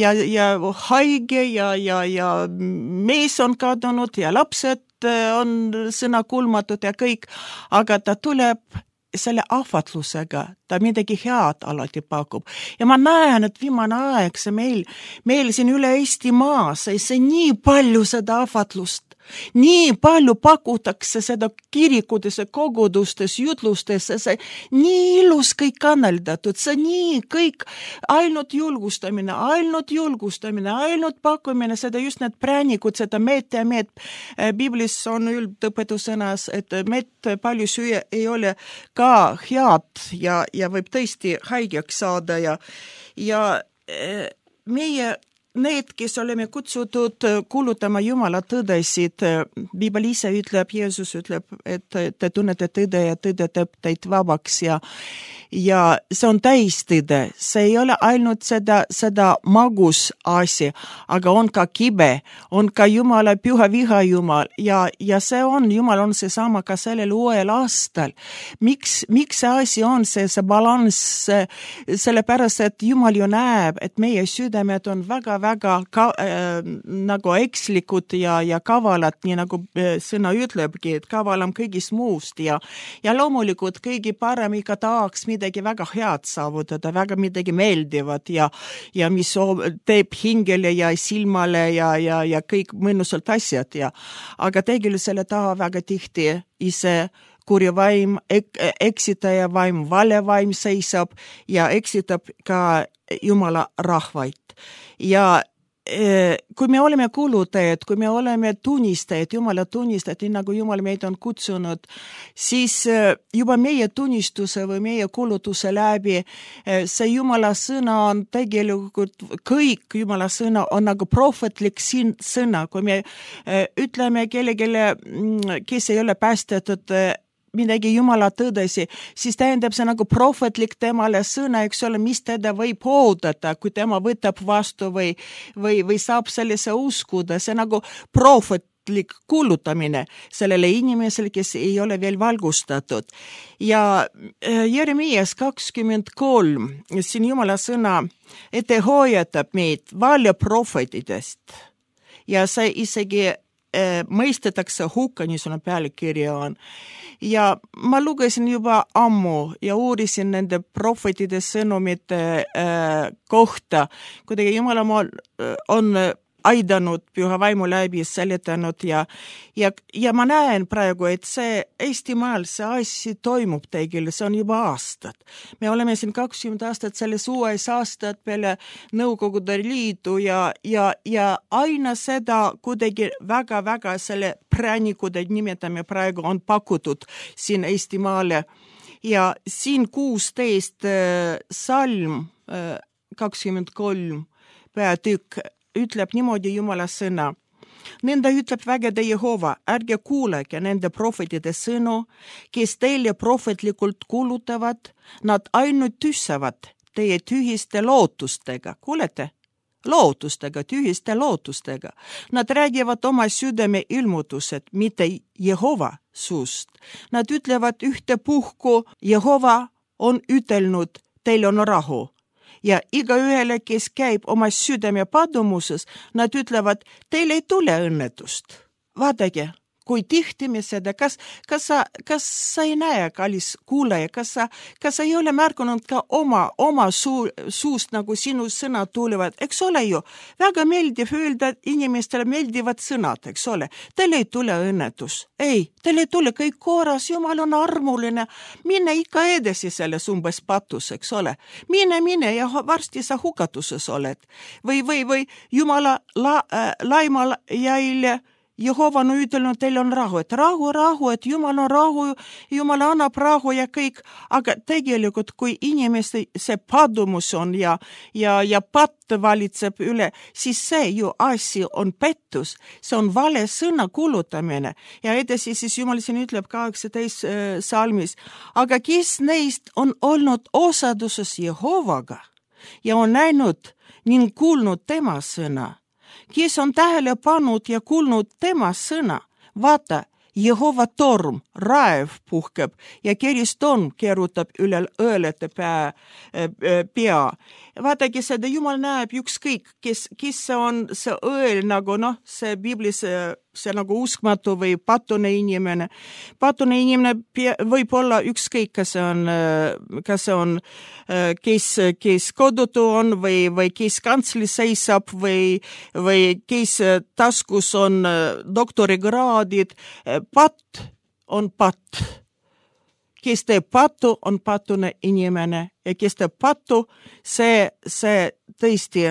haige ja mees on kadunud ja lapsed on sõnakulmatud ja kõik, aga ta tuleb selle ahvatlusega, ta midagi head alati pakub. Ja ma näen, et viimane aeg see meil siin üle Eestimaa, see nii palju seda ahvatlust, nii palju pakutakse seda kirikutes ja kogudustes, jutlustes, see nii ilus kõik kanaldatud, see nii kõik ainult julgustamine, ainult pakkumine, seda just need präänikud, seda meet ja meet. Biblis on üldõpetusõnas, et meet palju süüa ei ole ka head ja võib tõesti haigeks saada ja meie need, kes oleme kutsutud kuulutama Jumala tõdesid, Biibel ise ütleb, Jeesus ütleb, et te tunnete tõde ja tõde teeb teid vabaks ja see on täistõde. See ei ole ainult seda magus asi, aga on ka kibe, on ka Jumala püha viha Jumal ja see on, Jumal on seesama ka sellel uuel aastal. Miks see asi on see balanss, sellepärast, et Jumal ju näeb, et meie südamed on väga nagu ekslikud ja kavalad, nii nagu sõna ütlebki, et kavalam kõigist muust ja loomulikult kõigi parem ikka tahaks midagi väga head saavutada, väga midagi meeldivat ja mis teeb hingele ja silmale ja kõik mõnusalt asjad aga tegelikult selle taha väga tihti ise kuri vaim, eksitaja vaim, vale vaim seisab ja eksitab ka Jumala rahvaid. Ja kui me oleme kuulutajad, kui me oleme tunnistajad, Jumala tunnistajad, nii nagu Jumal meid on kutsunud, siis juba meie tunnistuse või meie kuulutuse läbi see Jumala sõna on tegelikult, kõik Jumala sõna on nagu prohvetlik sõna. Kui me ütleme kellelegi, kes ei ole päästetud, midagi Jumala tõdesi, siis tähendab see nagu prohvetlik temale sõna, eks ole, mis teda võib oodata, kui tema võtab vastu või saab sellise uskuda, see nagu prohvetlik kuulutamine sellele inimesele, kes ei ole veel valgustatud. Ja Jeremias 23, siin Jumala sõna ette hoiatab meid valjaprohvetidest ja see isegi mõistetakse hukka, niisugune pealkirja on. Ja ma lugesin juba ammu ja uurisin nende prohvetide sõnumite kohta, kuidagi Jumala on aidanud püha vaimu läbi seletanud ja ma näen praegu, et see Eestimaal see asi toimub tegelikult, see on juba aastad. Me oleme siin 20 aastat selles uues aastat peale Nõukogude Liidu ja aina seda kuidagi väga selle präänikud, et nimetame praegu, on pakutud siin Eestimaale ja siin 16 salm 23 peatükk ütleb niimoodi Jumala sõna. Nende ütleb vägede Jehova, ärge kuulege nende prohvetide sõnu, kes teile prohvetlikult kuulutavad, nad ainult tüssavad teie tühiste lootustega. Kuulete? Tühiste lootustega. Nad räägivad oma südame ilmutused, mitte Jehova suust. Nad ütlevad ühtepuhku, Jehova on ütelnud, teil on rahu. Ja igaühele, kes käib oma südame padumuses, nad ütlevad, teil ei tule õnnetust. Vaadake, kui tihti me seda, kas sa ei näe, kallis kuulaja, kas sa ei ole märganud ka oma suust, nagu sinu sõnad tulevad, eks ole ju, väga meeldiv öelda, et inimestele meeldivad sõnad, eks ole, teil ei tule õnnetus, ei, teil ei tule kõik korras, Jumal on armuline, mine ikka edasi selles umbes patus, eks ole, mine ja varsti sa hukatuses oled või Jumala laimal jäile Jehova on ütelnud, teil on rahu, et rahu, et Jumal on rahu, Jumal annab rahu ja kõik, aga tegelikult kui inimeste see padumus on ja patt valitseb üle, siis see ju asi on pettus, see on vale sõna kuulutamine ja edasi siis Jumal siin ütleb 18 salmis, aga kes neist on olnud osaduses Jehovaga ja on näinud ning kuulnud tema sõna, kes on tähele pannud ja kuulnud tema sõna, vaata, Jehova torm, raev puhkeb ja keristorm keerutab üle õelete pea. Vaadagi seda, Jumal näeb ükskõik, kes see on see õel, nagu see Biblis see nagu uskmatu või patune inimene. Patune inimene võib olla ükskõik, kas see on kes kodutu on või kes kantslis seisab või kes taskus on doktorikraadid. Patt on patt. Kes teeb pattu, on patune inimene ja kes teeb pattu, see tõesti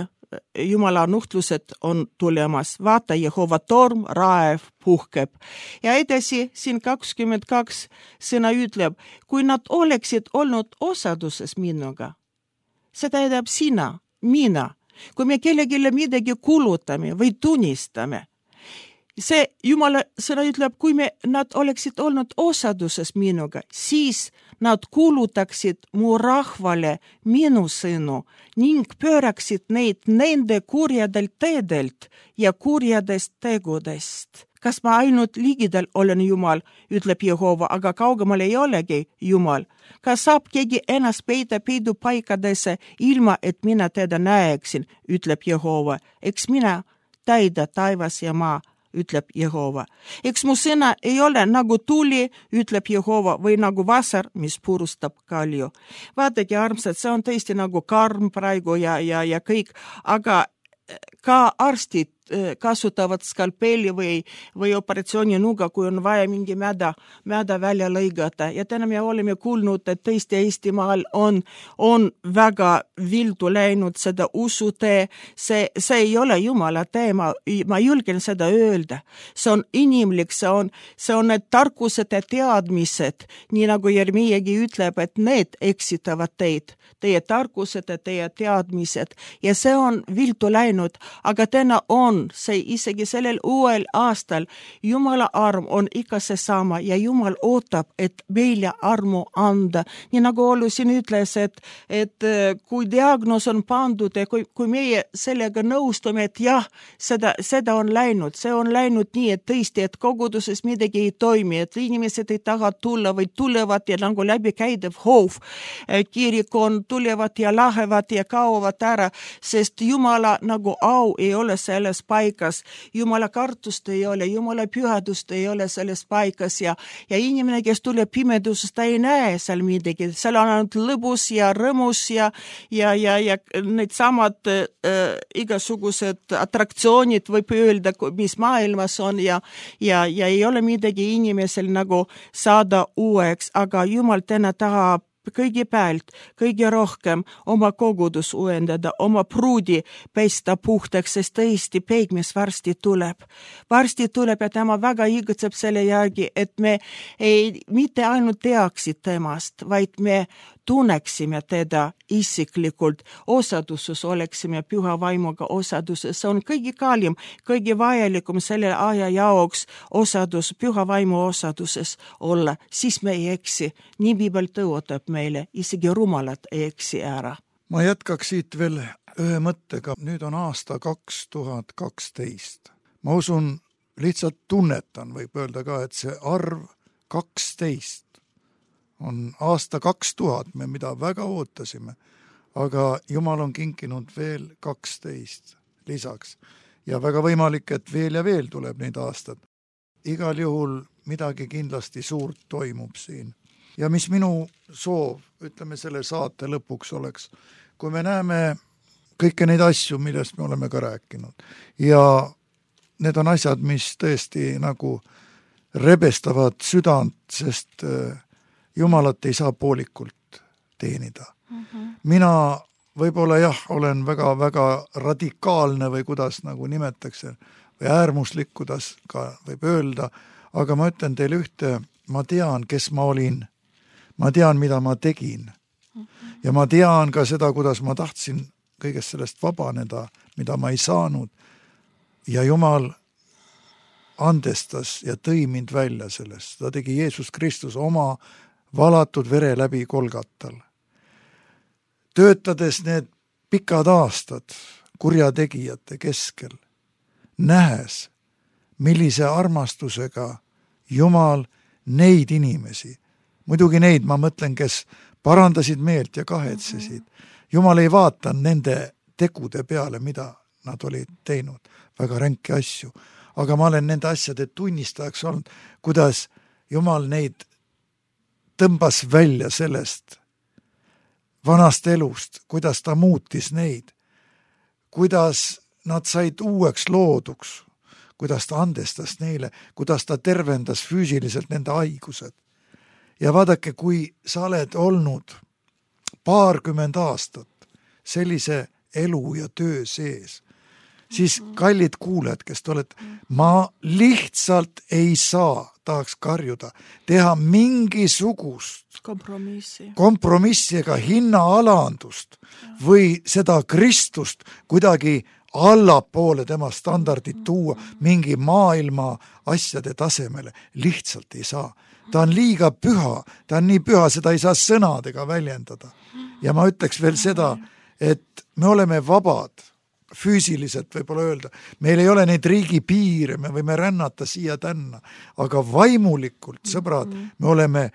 Jumala nuhtlused on tulemas. Vaata, Jehova torm, raev puhkeb. Ja edasi siin 22 sõna ütleb, kui nad oleksid olnud osaduses minuga, see tähendab sina, mina, kui me kellelegi midagi kulutame või tunnistame, see Jumala sõna ütleb, kui nad oleksid olnud osaduses minuga, siis nad kuulutaksid mu rahvale minu sõnu ning pööraksid neid nende kurjadelt teedelt ja kurjadest tegudest. Kas ma ainult ligidal olen Jumal, ütleb Jehova, aga kaugemal ei olegi Jumal. Kas saab keegi ennast peita peidupaikadesse ilma, et mina teda näeksin, ütleb Jehova. Eks mina täida taivas ja maa, ütleb Jehova. Eks mu sõna ei ole nagu tuli, ütleb Jehova, või nagu vasar, mis purustab kalju. Vaadake, armsad, see on tõesti nagu karm praegu ja kõik, aga ka arstid kasutavad skalpeli või operatsiooninuga, kui on vaja mingi mäda välja lõigata. Ja täna me oleme kuulnud, et tõesti Eestimaal on väga vildu läinud seda usutee. See ei ole Jumala tee, ma julgen seda öelda. See on inimlik, see on need tarkused ja teadmised, nii nagu Jeremiagi ütleb, et need eksitavad teid, teie tarkused ja teie teadmised. Ja see on vildu läinud, aga täna on see isegi sellel uuel aastal Jumala arm on ikka seesama ja Jumal ootab, et meile armu anda. Nii nagu Ollu siin ütles, et kui diagnoos on pandud ja kui meie sellega nõustume, et jah, seda on läinud, see on läinud nii, et tõesti, et koguduses midagi ei toimi, et inimesed ei taha tulla või tulevad ja nagu läbikäidev hoov. Kirik on, tulevad ja lähevad ja kaovad ära, sest Jumala nagu au ei ole selles paikas, Jumala kartust ei ole, Jumala pühadust ei ole selles paikas ja inimene, kes tuleb pimedusest, ta ei näe seal midagi, seal on ainult lõbus ja rõmus ja need samad igasugused atraktsioonid võib öelda, mis maailmas on ja ei ole midagi inimesel nagu saada uueks, aga Jumal täna tahab kõigepealt, kõige rohkem oma kogudus uuendada, oma pruudi pesta puhtaks, sest tõesti peigmees varsti tuleb. Varsti tuleb ja tema väga igatseb selle järgi, et me mitte ainult teaksid temast, vaid me tunneksime teda isiklikult, osaduses oleksime püha vaimuga osaduses. See on kõige kallim, kõige vajalikum selle aja jaoks osadus, püha vaimu osaduses olla, siis me ei eksi. Nii Piibel tõotab meile, isegi rumalad ei eksi ära. Ma jätkaks siit veel ühe mõttega. Nüüd on aasta 2012. Ma usun, lihtsalt tunnetan, võib öelda ka, et see arv 12 on aasta 2000, me mida väga ootasime, aga Jumal on kinkinud veel 12 lisaks. Ja väga võimalik, et veel ja veel tuleb neid aastad. igal juhul midagi kindlasti suurt toimub siin. Ja mis minu soov, ütleme selle saate lõpuks oleks, kui me näeme kõike neid asju, millest me oleme ka rääkinud ja need on asjad, mis tõesti nagu rebestavad südant, sest Jumalat ei saa poolikult teenida. Mina võib-olla jah, olen väga radikaalne või kuidas nagu nimetakse, või äärmuslik, kuidas ka võib öelda, aga ma ütlen teile ühte, ma tean, kes ma olin, ma tean, mida ma tegin ja ma tean ka seda, kuidas ma tahtsin kõigest sellest vabaneda, mida ma ei saanud ja Jumal andestas ja tõi mind välja sellest. Ta tegi Jeesus Kristus oma valatud vere läbi Golgatal. Töötades need pikad aastad kurjategijate keskel, nähes, millise armastusega Jumal neid inimesi, muidugi neid ma mõtlen, kes parandasid meelt ja kahetsesid. Jumal ei vaata nende tegude peale, mida nad olid teinud, väga ränki asju. Aga ma olen nende asjade tunnistajaks olnud, kuidas Jumal neid tõmbas välja sellest vanast elust, kuidas ta muutis neid, kuidas nad said uueks looduks, kuidas ta andestas neile, kuidas ta tervendas füüsiliselt nende haigused. Ja vaadake, kui sa oled olnud 20 aastat sellise elu ja töö sees, siis kallid kuulajad, kes te olete, ma lihtsalt ei saa, tahaks karjuda, teha mingisugust kompromissi ega hinnaalandust või seda Kristust kuidagi allapoole tema standardit tuua mingi maailma asjade tasemele. Lihtsalt ei saa. Ta on liiga püha, ta on nii püha, seda ei saa sõnadega väljendada. Ja ma ütleks veel seda, et me oleme vabad, füüsiliselt võib-olla öelda, meil ei ole neid riigi piire, me võime rännata siia tänna, aga vaimulikult, sõbrad, me oleme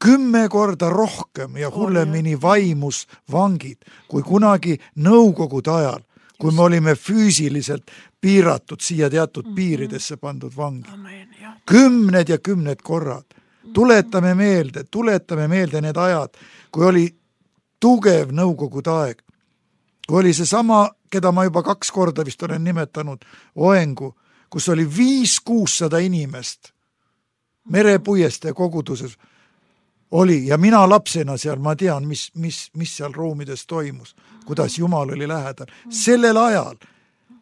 10 korda rohkem ja hullemini vaimus vangid, kui kunagi nõukogude ajal, kui me olime füüsiliselt piiratud siia teatud piiridesse pandud vangid. 10 ja 10 korrad. Tuletame meelde need ajad, kui oli tugev nõukogude aeg, kui oli see sama, keda ma juba 2 korda vist olen nimetanud, Oengu, kus oli 500-600 inimest merepuieste koguduses oli ja mina lapsena seal, ma tean, mis seal ruumides toimus, kuidas Jumal oli lähedal. Sellel ajal,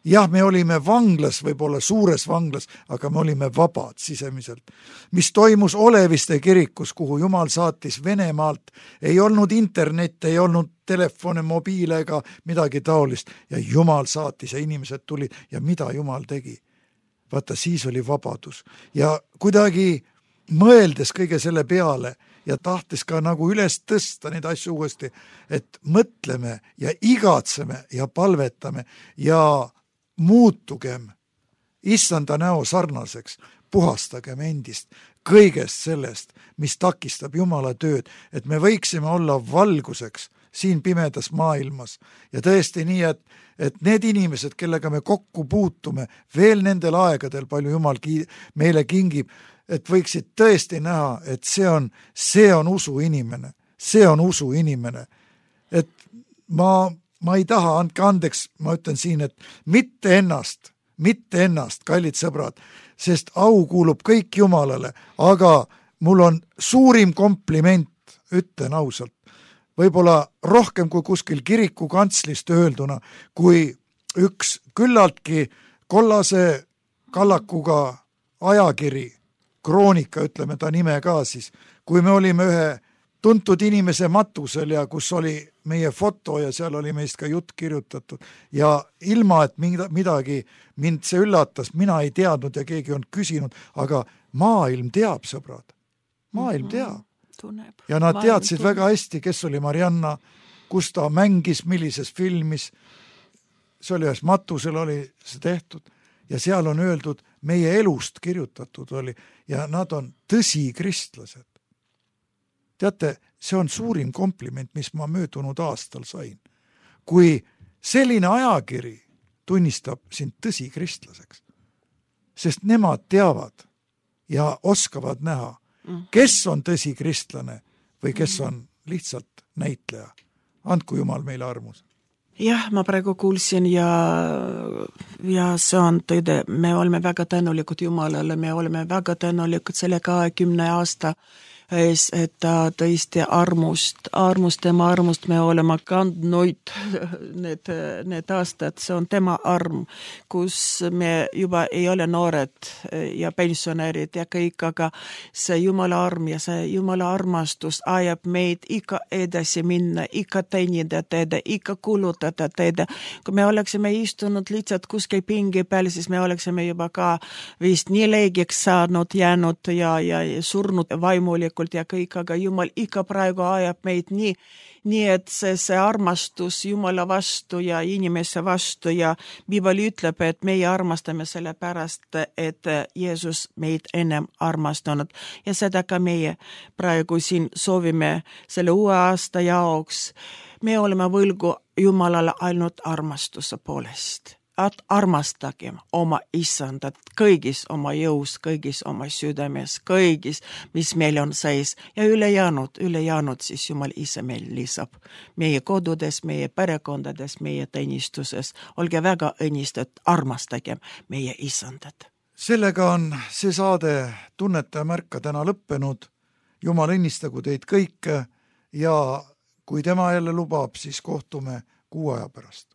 jah, me olime vanglas, võib-olla suures vanglas, aga me olime vabad sisemiselt. Mis toimus Oleviste kirikus, kuhu Jumal saatis Venemaalt, ei olnud internet, ei olnud telefone, mobiile ega midagi taolist ja Jumal saatis ja inimesed tulid ja mida Jumal tegi? Vaata, siis oli vabadus ja kuidagi mõeldes kõige selle peale ja tahtes ka nagu üles tõsta neid asju uuesti, et mõtleme ja igatseme ja palvetame ja muutugem issanda näo sarnaseks, puhastagem endist kõigest sellest, mis takistab Jumala tööd, et me võiksime olla valguseks siin pimedas maailmas ja tõesti nii, et need inimesed, kellega me kokku puutume veel nendel aegadel, palju Jumal meile kingib, et võiksid tõesti näha, et see on usuinimene, see on usuinimene, et ma ei taha, andke andeks, ma ütlen siin, et mitte ennast, kallid sõbrad, sest au kuulub kõik Jumalale, aga mul on suurim kompliment, ütlen ausalt, võib-olla rohkem kui kuskil kiriku kantslist öelduna, kui üks küllaltki kollase kallakuga ajakiri, kroonika, ütleme ta nime ka siis, kui me olime ühe tuntud inimese matusel ja kus oli meie foto ja seal oli meist ka jutt kirjutatud ja ilma, et midagi mind see üllatas, mina ei teadnud ja keegi on küsinud, aga maailm teab, sõbrad, maailm teab. Ja nad teadsid väga hästi, kes oli Marianna, kus ta mängis, millises filmis, see oli ühes matusel oli see tehtud ja seal on öeldud, meie elust kirjutatud oli ja nad on tõsi kristlased. Teate, see on suurim kompliment, mis ma möödunud aastal sain. Kui selline ajakiri tunnistab sind tõsi kristlaseks, sest nemad teavad, ja oskavad näha, kes on tõsi kristlane või kes on lihtsalt näitleja. Andku Jumal meile armus. Jah, ma praegu kuulsin ja see on tõde, me oleme väga tänulikud Jumalale, me oleme väga tänulikud selle 20 aasta ees, et ta tõesti tema armust me oleme kandnud need aastad, see on tema arm, kus me juba ei ole noored ja pensionärid ja kõik, aga see Jumala arm ja see Jumala armastus ajab meid ikka edasi minna, ikka teenida teda, ikka kulutada teda. Kui me oleksime istunud lihtsalt kuskil pingi peal, siis me oleksime juba ka vist nii leegiks saanud, jäänud ja surnud vaimulikult ja kõik, aga Jumal ikka praegu ajab meid nii et see armastus Jumala vastu ja inimese vastu ja Piibel ütleb, et meie armastame selle pärast, et Jeesus meid ennem armastanud ja seda ka meie praegu siin soovime selle uue aasta jaoks. Me oleme võlgu Jumalale ainult armastuse poolest. Armastagem oma isandat kõigis oma jõus, kõigis oma südames, kõigis, mis meil on sees ja ülejäänud siis Jumal ise meil lisab. Meie kodudes, meie perekondades, meie teenistuses. Olge väga õnnistatud, armastagem meie isandat. Sellega on see saade Tunneta ja märka täna lõppenud. Jumal õnnistagu teid kõike ja kui tema jälle lubab, siis kohtume 6 aja pärast.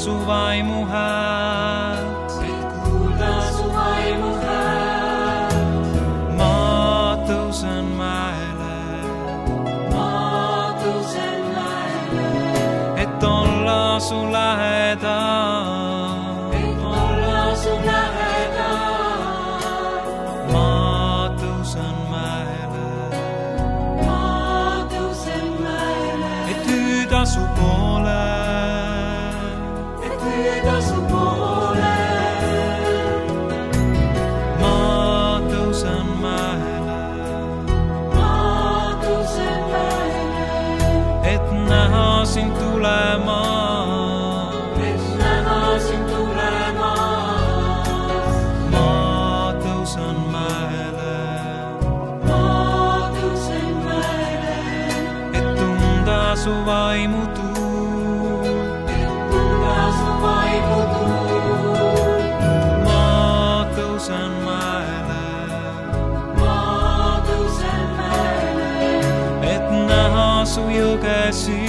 Su vaimu häält, et kuulda su vaimu häält. Ma tõusen mäele, et olla su lähedal, Ma tõusen mäele, et hüüda su poole. Ma tõusen mäele, et näha sind tulema, Ma tõusen mäele, et tunda su vaimu tuul. Su jõgesi,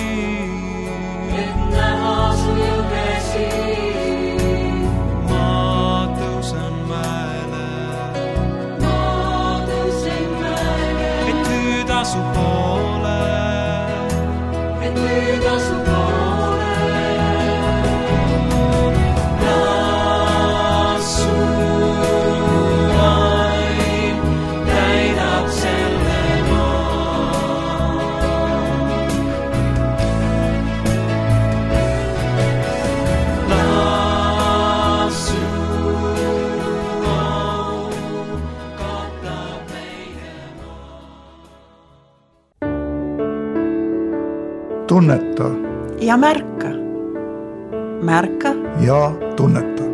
Ma tõusen mäele, et hüüda su poole, Las su vaim täidab selle Tunneta ja märka ja tunneta.